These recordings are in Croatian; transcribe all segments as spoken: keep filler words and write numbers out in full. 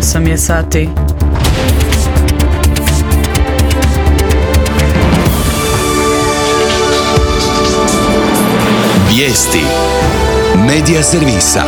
osam je sati. Vijesti Medija servisa.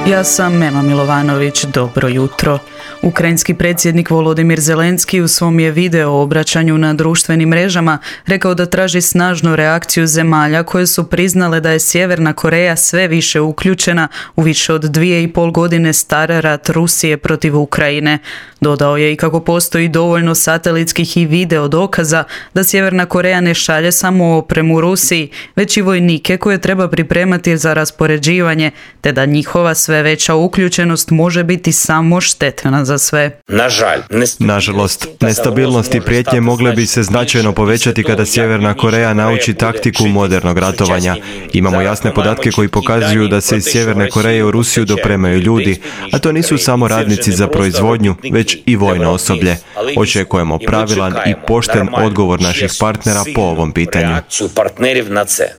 Ja sam Mema Milovanović, dobro jutro. Ukrajinski predsjednik Volodimir Zelenski u svom je video obraćanju na društvenim mrežama rekao da traži snažnu reakciju zemalja koje su priznale da je Sjeverna Koreja sve više uključena u više od dvije i pol godine star rat Rusije protiv Ukrajine. Dodao je i kako postoji dovoljno satelitskih i video dokaza da Sjeverna Koreja ne šalje samo opremu Rusiji, već i vojnike koje treba pripremati za raspoređivanje, te da njihova sve veća uključenost može biti samo štetna za sve. Nažalost, nestabilnost i prijetnje mogle bi se značajno povećati kada Sjeverna Koreja nauči taktiku modernog ratovanja. Imamo jasne podatke koji pokazuju da se iz Sjeverne Koreje u Rusiju dopremaju ljudi, a to nisu samo radnici za proizvodnju, već i vojno osoblje. Očekujemo pravilan i pošten odgovor naših partnera po ovom pitanju.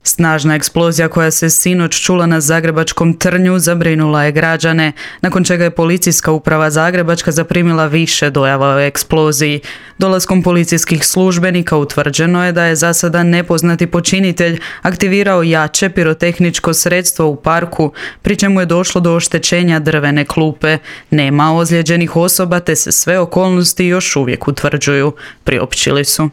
Snažna eksplozija koja se sinoć čula na zagrebačkom Trnju zabrinula je građane, nakon čega je policijska uprava Zagrebačka zaprimila više dojava o eksploziji. Dolaskom policijskih službenika utvrđeno je da je za sada nepoznati počinitelj aktivirao jače pirotehničko sredstvo u parku, pri čemu je došlo do oštećenja drvene klupe. Nema ozlijeđenih osoba te se sve okolnosti još uvijek utvrđuju, priopćili su.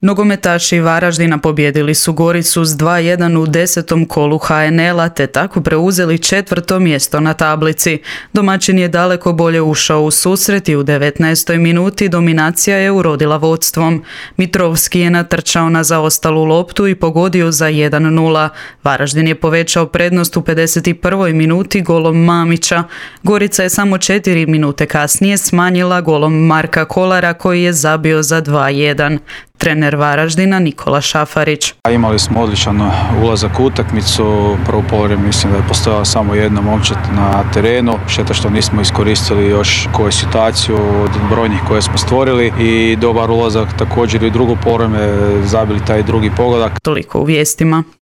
Nogometaši Varaždina pobijedili su Goricu s dva jedan u desetom kolu ha en el a te tako preuzeli četvrto mjesto na tablici. Domaćin je daleko bolje ušao u susret i u devetnaestoj minuti dominacija je urodila vodstvom. Mitrovski je natrčao na zaostalu loptu i pogodio za jedan nula. Varaždin je povećao prednost u pedeset prvoj minuti golom Mamića. Gorica je samo četiri minute kasnije smanjila golom Marka Kolara koji je zabio za dva jedan. Trener Varaždina Nikola Šafarić. Imali smo odličan ulazak u utakmicu. Prvo polovreme mislim da je postojala samo jedna momčad na terenu. Šteta što nismo iskoristili još koju situaciju od brojnih koje smo stvorili i dobar ulazak također i u drugo polovreme, zabili taj drugi pogodak. Toliko u vijestima.